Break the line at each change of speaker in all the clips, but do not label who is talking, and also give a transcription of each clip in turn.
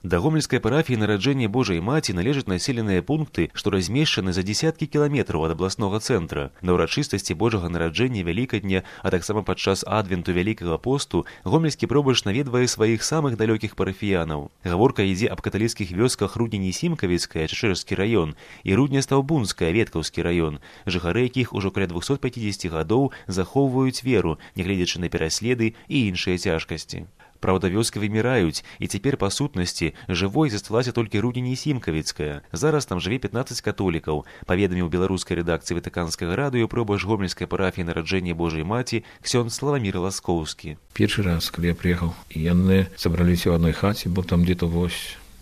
Да гомельскай парафіі нараджэння Божай Маці належаць населеныя пункты, што размешчаны за дзесяткі кіламетраў ад абласнога цэнтра. На ўрачыстасці Божага нараджэння Вялікадня, а таксама падчас адвенту Вялікага посту, гомельскі пробач наведвае сваіх самых далёкіх парафіянаў. Гаворка ідзе аб каталіцкіх вёсках Рудне-Нісімкавіцкая, Чачэрэжскі раён, і Рудне-Стаўбунская, Веткаўскі раён, жыхары якіх ужо каля 250 гадоў захоўваюць веру, нягледзячы на пераследы і іншыя цяжкасці. Праўда, вёскі выміраюць, і цяпер, па сутнасці, жывой засталася толькі Рудне-Нісімкавіцкая. Зараз там жыве 15 католікаў, паведаміў беларускай рэдакцыі Ватыканскага радыё пробач гомельскай парафіі нараджэння Божай Маці ксёндз Славамір Ласкоўскі.
Першы раз, калі я прыехаў, яны сабраліся ў адной хаце, бо там где-то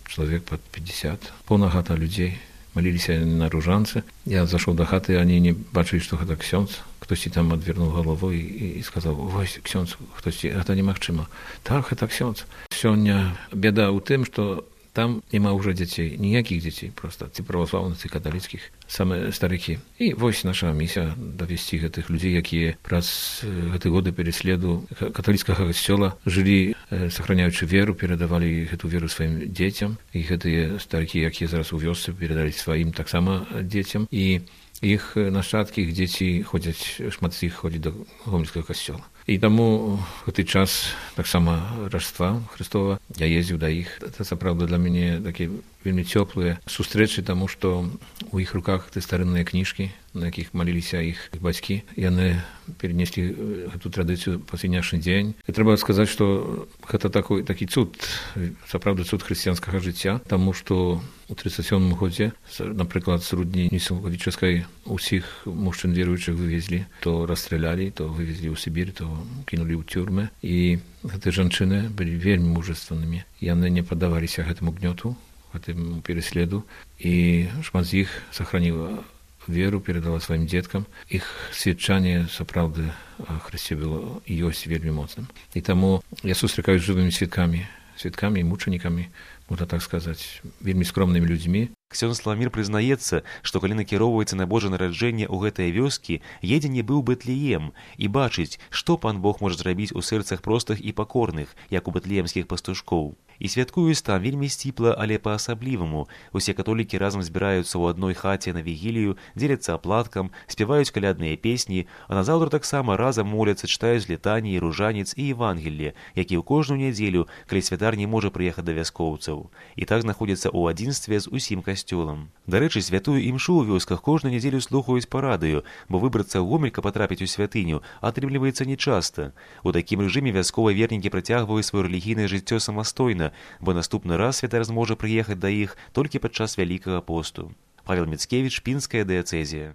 чалавек пад 50, поўна хата людзей. Маліліся на ружанцы. Я зашоў да хаты, они не бачылі, што гэта ксёндз. Хтосьці там адвернуў галавой і сказаў: «Вось, ксёндз, хтосьці, гэта немагчыма». Так, гэта ксёндз. Сёння бяда ў тым, што там няма ўжо дзяцей, ніякіх дзяцей, проста ці праваслаўных, ці каталіцкіх, самыя старыкі. І вось наша місія давесці гэтых людзей, якія праз гэты годы переследу каталіцкага касцёла жылі, сохраняючы веру, перадавалі гэту веру сваім дзецям, і гэтыя старыкі, якія зараз у вёсцы, перадалі сваім таксама дзецям, і іх нашчадкі, іх дзеці ходзяць, шмат з іх ходзіць да гомельскага касцёла. І таму гэты час таксама Рождества Христова я ездзіў да іх. Гэта сапраўды для мяне такія вельмі цёплыя сустрэчы, таму што у іх руках ты старынныя кніжкі, на якіх маліліся іх бацькі. Яны перенеслі гэту традыцыю па сённяшні дзень. І трэба сказаць, што гэта такі цуд, сапраўды цуд хрысціянскага жыцця, таму што у 37 годзе, напрыклад, з Рудне-Нісімкавіцкай усіх мужчын веруючых вывезлі, то расстралялі, то вывезлі ў Сібір, то кінулі ў тюрмы. І гэтыя жанчыны былі вельмі мужественнымі. Яны не паддаваліся гэтаму гнёту, гэтаму переследу, і шмат з іх сохраніла веру, перадала сваім дзеткам. Іх сведчанне сапраўды Хрысце было і ёсць вельмі моцным. І таму я сустракаюсь з жывымі сведкамі і мучанікамі, можна так сказаць, вельмі скромнымі людзьмі.
Ксёндз Славамір прызнаецца, што калі накіроўваецца на Божае нараджэнне ў гэтыя вёскі, едзе нібы ў Бэтлеем і бачыць, што пан Бог можа зрабіць у сэрцах простых і пакорных, як у бэтлеемскіх пастушкоў. І святкуюць там вельмі сціпла, але па-асабліваму. Усе католікі разам збіраюцца ў адной хаце на вігілію, дзеляцца аплаткам, спяваюць калядныя песні, а назаўтра таксама разам моляцца, чытаюць літаніі, ружанец і Евангелле, які ў кожную нядзелю, калі святар не можа прыехаць да вяскоўцаў. І так знаходзяцца ў адзінстве з усім касцёлам. Дарэчы, святую імшу ў вёсках кожную нядзелю слухаюць па радыё, бо выбрацца ў Гомель, каб патрапіць у святыню, атрымліваецца нечаста. У такім рэжыме вясковыя вернікі працягваюць сваё рэлігійнае жыццё самастойна, бо наступны раз святар зможа прыехаць да іх толькі падчас Вялікага посту. Павел Міцкевіч, Пінская дыяцэзія.